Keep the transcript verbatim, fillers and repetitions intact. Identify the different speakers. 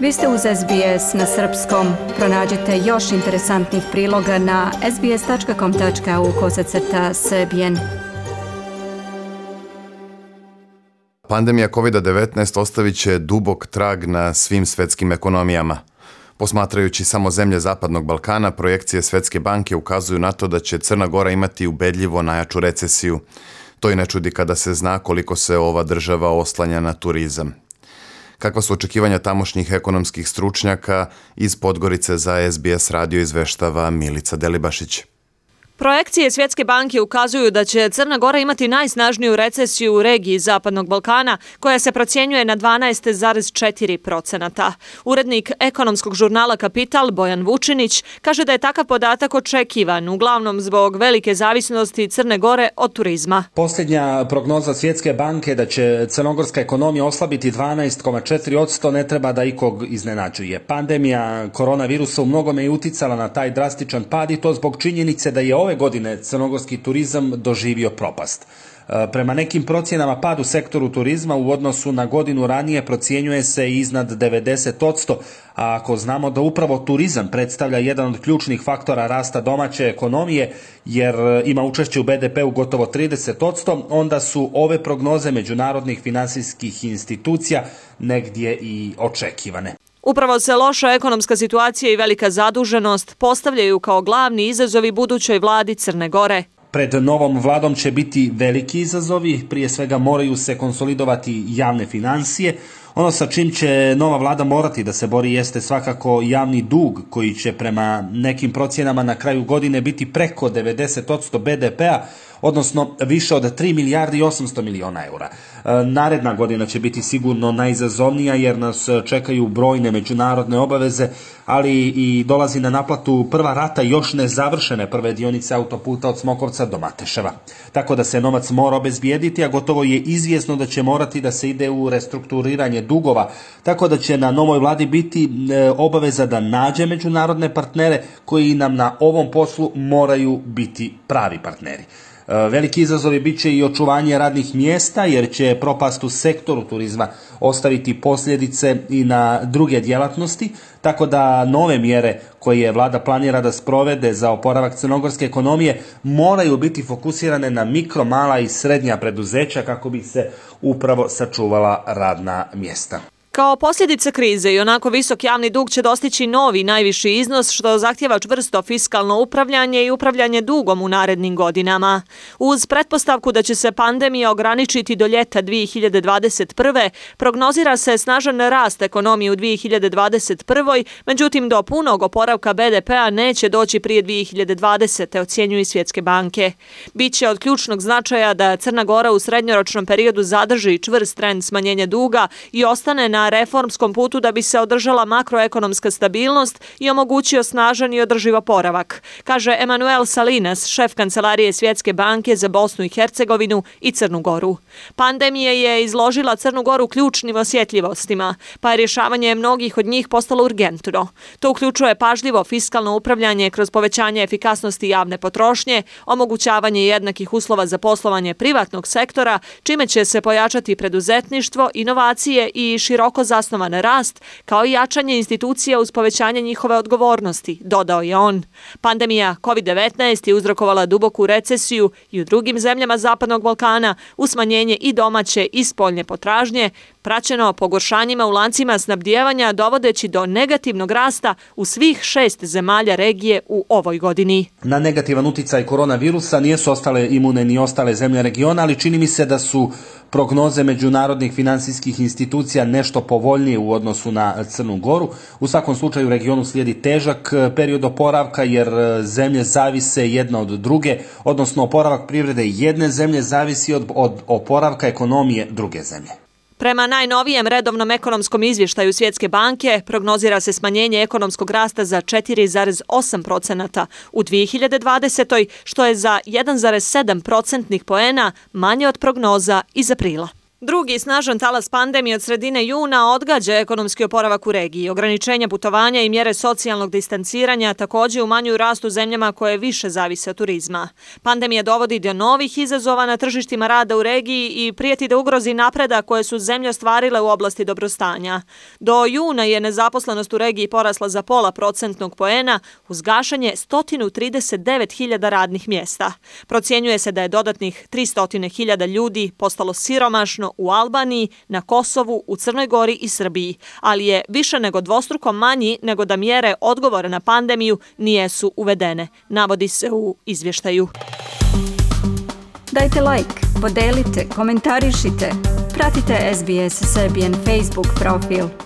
Speaker 1: Vi ste uz S B S na srpskom. Pronađite još interesantnih priloga na sbs.com.au kosacrta srbijen.
Speaker 2: Pandemija kovid devetnaest ostavit će dubok trag na svim svetskim ekonomijama. Posmatrajući samo zemlje Zapadnog Balkana, projekcije Svetske banke ukazuju na to da će Crna Gora imati ubedljivo najjaču recesiju. To i ne čudi kada se zna koliko se ova država oslanja na turizam. Kakva su očekivanja tamošnjih ekonomskih stručnjaka, iz Podgorice za S B S radio izveštava Milica Delibašić.
Speaker 3: Projekcije Svjetske banke ukazuju da će Crna Gora imati najsnažniju recesiju u regiji Zapadnog Balkana, koja se procjenjuje na dvanaest zarez četiri posto. Urednik ekonomskog žurnala Kapital Bojan Vučinić kaže da je takav podatak očekivan, uglavnom zbog velike zavisnosti Crne Gore od turizma.
Speaker 4: Posljednja prognoza Svjetske banke da će crnogorska ekonomija oslabiti dvanaest zarez četiri posto ne treba da ikog iznenađuje. Pandemija koronavirusa u mnogome je uticala na taj drastičan pad i to zbog činjenice da je ove godine crnogorski turizam doživio propast. Prema nekim procjenama pad u sektoru turizma u odnosu na godinu ranije procjenjuje se iznad devedeset posto, a ako znamo da upravo turizam predstavlja jedan od ključnih faktora rasta domaće ekonomije, jer ima učešće u B D P-u gotovo trideset posto, onda su ove prognoze međunarodnih finansijskih institucija negdje i očekivane.
Speaker 3: Upravo se loša ekonomska situacija i velika zaduženost postavljaju kao glavni izazovi budućoj vladi Crne Gore.
Speaker 4: Pred novom vladom će biti veliki izazovi, prije svega moraju se konsolidovati javne financije. Ono sa čim će nova vlada morati da se bori jeste svakako javni dug, koji će prema nekim procjenama na kraju godine biti preko devedeset posto B D P-a, odnosno više od tri milijarde i osamsto miliona eura. Naredna godina će biti sigurno najizazovnija jer nas čekaju brojne međunarodne obaveze, ali i dolazi na naplatu prva rata još nezavršene prve dionice autoputa od Smokovca do Mateševa. Tako da se novac mora obezbijediti, a gotovo je izvjesno da će morati da se ide u restrukturiranje dugova, tako da će na novoj vladi biti obaveza da nađe međunarodne partnere koji nam na ovom poslu moraju biti pravi partneri. Veliki izazovi bit će i očuvanje radnih mjesta, jer će propast u sektoru turizma ostaviti posljedice i na druge djelatnosti, tako da nove mjere koje vlada planira da sprovede za oporavak crnogorske ekonomije moraju biti fokusirane na mikro, mala i srednja preduzeća kako bi se upravo sačuvala radna mjesta.
Speaker 3: Kao posljedica krize i onako visok javni dug će dostići novi najviši iznos, što zahtjeva čvrsto fiskalno upravljanje i upravljanje dugom u narednim godinama. Uz pretpostavku da će se pandemija ograničiti do ljeta dvije hiljade dvadeset prve. prognozira se snažan rast ekonomije u dvije hiljade dvadeset prvoj. Međutim, do punog oporavka B D P-a neće doći prije dvije hiljade dvadesete. ocjenjuju Svjetske banke. Biće od ključnog značaja da Crna Gora u srednjoročnom periodu zadrži čvrst trend smanjenja duga i ostane na reformskom putu da bi se održala makroekonomska stabilnost i omogućio snažan i održiv oporavak, kaže Emanuel Salinas, šef kancelarije Svjetske banke za Bosnu i Hercegovinu i Crnu Goru. Pandemija je izložila Crnu Goru ključnim osjetljivostima, pa je rješavanje mnogih od njih postalo urgentno. To uključuje pažljivo fiskalno upravljanje kroz povećanje efikasnosti javne potrošnje, omogućavanje jednakih uslova za poslovanje privatnog sektora, čime će se pojačati preduzetništvo, inovacije i široko zasnovan rast, kao i jačanje institucija uz povećanje njihove odgovornosti, dodao je on. Pandemija kovid devetnaest je uzrokovala duboku recesiju i u drugim zemljama Zapadnog Balkana, uz smanjenje i domaće i spoljne potražnje, praćeno pogoršanjima u lancima snabdijevanja, dovodeći do negativnog rasta u svih šest zemalja regije u ovoj godini.
Speaker 4: Na negativan uticaj koronavirusa nisu ostale imune ni ostale zemlje regiona, ali čini mi se da su prognoze međunarodnih finansijskih institucija nešto povoljnije u odnosu na Crnu Goru. U svakom slučaju regionu slijedi težak period oporavka, jer zemlje zavise jedna od druge, odnosno oporavak privrede jedne zemlje zavisi od, od oporavka ekonomije druge zemlje.
Speaker 3: Prema najnovijem redovnom ekonomskom izvještaju Svjetske banke, prognozira se smanjenje ekonomskog rasta za četiri zarez osam posto u dvije hiljade dvadesetoj. što je za jedan zarez sedam procentnih poena manje od prognoza iz aprila. Drugi snažan talas pandemije od sredine juna odgađa ekonomski oporavak u regiji. Ograničenja putovanja i mjere socijalnog distanciranja također umanjuju rast u zemljama koje više zavise od turizma. Pandemija dovodi do novih izazova na tržištima rada u regiji i prijeti da ugrozi napredak koje su zemlje ostvarile u oblasti dobrostanja. Do juna je nezaposlenost u regiji porasla za pola procentnog poena uz gašanje sto trideset devet hiljada radnih mjesta. Procjenjuje se da je dodatnih tristo hiljada ljudi postalo siromašno u Albaniji, na Kosovu, u Crnoj Gori i Srbiji, ali je više nego dvostruko manji nego da mjere odgovora na pandemiju nijesu uvedene, navodi se u izvještaju.
Speaker 1: Dajte like, podelite, komentarišite, pratite S B S Serbian Facebook profil.